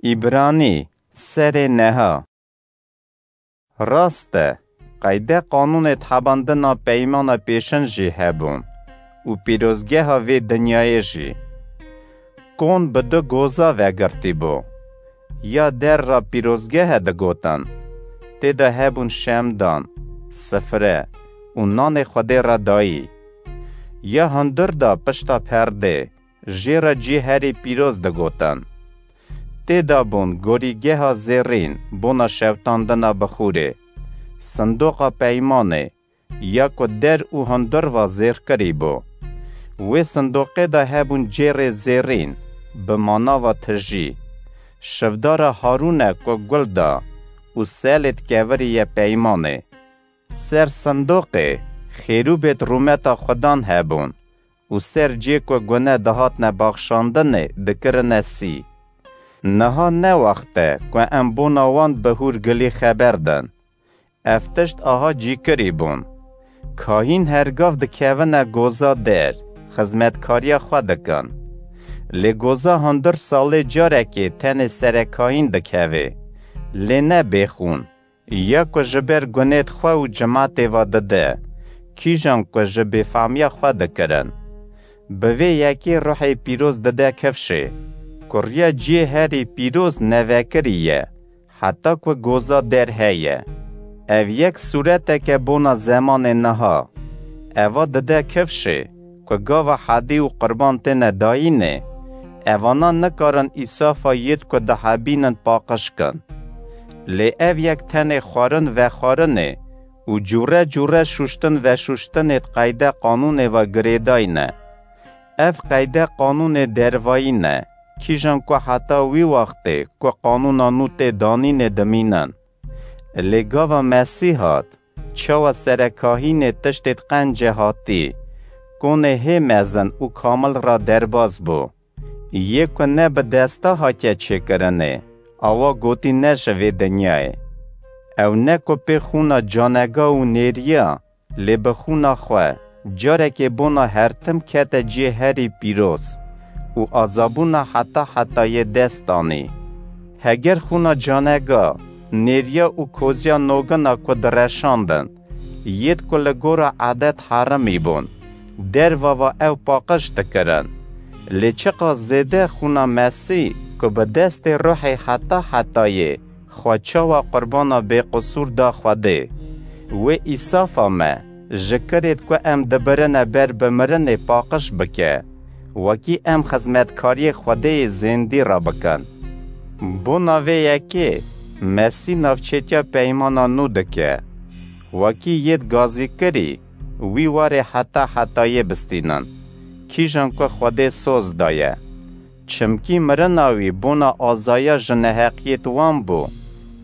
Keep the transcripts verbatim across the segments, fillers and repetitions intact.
Îbranî, serê neha. Rast e, qeyde qanûnê hebandina peymana pêşin jî hebûn û pîrozgeha vê dinyayê jî. Kon bi du goza vegirtî bû. Ya der ra pîrozgehe digotin. Tê de hebûn şemdan, sifre û nanê Xwedê re dayî. Ya hundir de pişta perdê, jê re cihê herî pîroz digotin. Tê de bûn gorîgeha zêrîn bona şewtandina bixûrê, sindoqa peymanê, ya ku der û hundir va zêrkirî bû. Wê sindoqê de hebûn cêrê zêrîn, bi manava tijî. Şivdara Harûne ku gul da û selêt keviriye peymanê. Ser sindoqê xêrûbêt rûmeta Xudan hebûn û ser cê ku gune dihatne baxşandinê dikirine sî. Niha ne wext e ku em bona wan bi hûrgilî xeber din. Ev tişt aha cîkirî bûn. Kahîn her gav dikevine goza der, xizmetkariya xwe dikin. Lê goza hundir salê carekê tenê serekahîn dikevê. Lê ne bêxûn. Ya ku ji ber gunêt xwe û cimatê ve dide, kîjan ku ji bêfamiya xwe dikirin. Bi vê yekê ruhê pîroz dide kifşê. Kuriya cihê herî pîroz nevekirî ye, heta ku goza der heye. Ev yek sûreteke bona zemanê niha. Eva dide kifşê, ku gava hedî û qurban têne dayînê, evana nikarin îsafa yêt ku dihebînin paqij kin. Lê ev yek tenê xwarin vexwarinê û cûre cûre şûştin veşûştinê qeyde qanûnê ve girêdayî ne. Ev qeyde qanûnê dervayî ne, kîjan ku heta wî wextê ku qanûna nû tê danînê dimînin. Lê gava Mesîh hat, çawa serekahînê tiştêt qence hatî, konê hê mezin û kamil ra derbas bû. Yê ku ne bi desta hatiye çêkirinê, awa gotî ne ji vê dinyayê. Ew ne ku pê xûna canega û nêriya, lê bi xûna xwe, carekê bona her tim kete cihê herî pîroz û azabûna heta hetayê dest danî. Heger xûna canega, nêriya û koziya nogina ku direşandin, yêt ku li gora edet herimî bûn, derva va ew paqij dikirin. Lê çiqas zêde xûna Mesî ku bi destê ruhê heta hetayê xwe çawa qurbana bêqisûr da Xwedê. Wê îsafa me, ji kirêt ku em dibirine ber bi mirinê paqij bike, wekî em xizmetkariyê Xwedêyê zêndî re bikin. Bona vê yekê, Mesî navçêtiya peymana nû dike. Wekî yêt gazîkirî, wî warê heta hetayê bistînin, kîjan ku Xwedê soz daye. Çimkî mirina wî bona azaya ji neheqiyêt wan bû,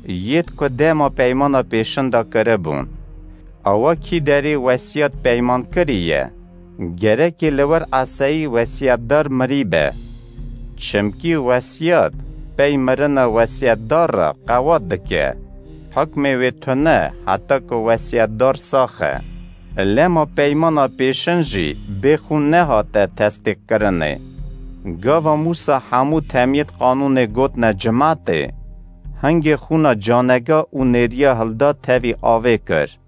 yêt ku dema peymana pêşin de kiribûn. Awa kî derê wesiyat peymankirî ye, gerekê li wir eseyî wesiyetdar mirî be. Çimkî wesiyat pey mirina wesiyetdar re qewat dike. Hukmê wê tune heta ku wesiyetdar sax e. Lema peymana pêşin jî bê xûn nehate tesdîqkirinê. Gava Mûsa hemû temiyêt qanûnê gotne cimatê, hingê xûna canega û nêriya hilda tevî avê kir.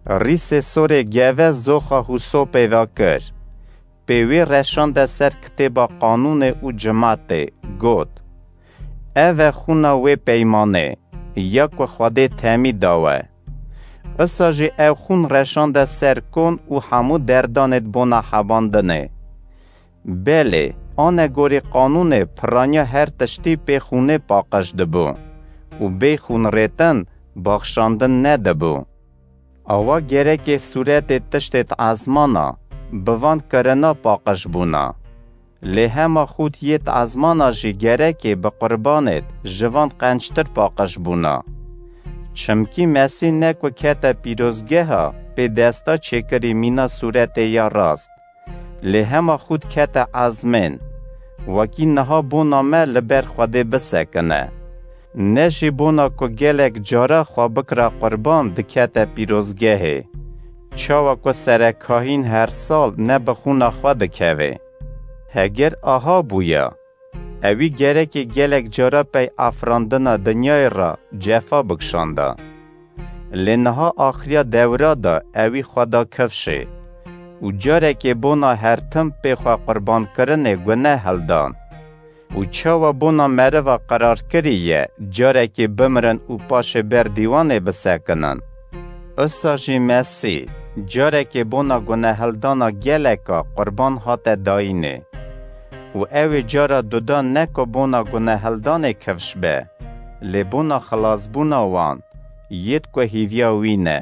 Rîsê sorê geve zoxa hûsopê ve kir. Pê wê reşande ser kitêba qanûnê û cimatê, got, Ev e xûna wê peymanê, ya ku Xwedê temî dawe. Isa jî ew xûn reşande ser kon û hemû derdanêt bona hebandinê. Belê, anegorî qanûnê piraniya her tiştî pê xûnê paqij dibû û bê xûnrêtin baxşandin nedibû. Awa gerekê sûretê tiştêt ezmana, bi van kirina paqij bûna. Lê hema xût yêt ezmana jî gerekê bi qurbanêt ji van qençtir paqij bûna. Çimkî Mesîh ne ku kete pîrozgeha pê desta çêkirî mîna sûretê ya rast, lê hema xût kete ezmên, wekî niha bona me li ber Xwedê bisekine. Ne jî bona ku gelek cara xwe bikira qurban dikete pîrozgehê. Çawa ku serekahîn her sal ne bi xûna xwe dikeve. Heger aha bûya, Ewî gerekê gelek cara pey afirandina dinyayê re cefa bikişanda. Lê niha axiriya dewra de ewî xwe da kifşê û carekê bona her tim pê xwe qurbankirinê gune hildan. Û çawa bona meriva qerar kirî ye carekê bimirin û paşê ber dîwanê bisekinin? Usa jî Mesîh carekê bona gunehildana geleka qurban hate dayînê. Û ew ê cara duda ne ku bona gunehildanê kifş be, lê bona xilasbûna wan, yêd ku hîviya wî ne.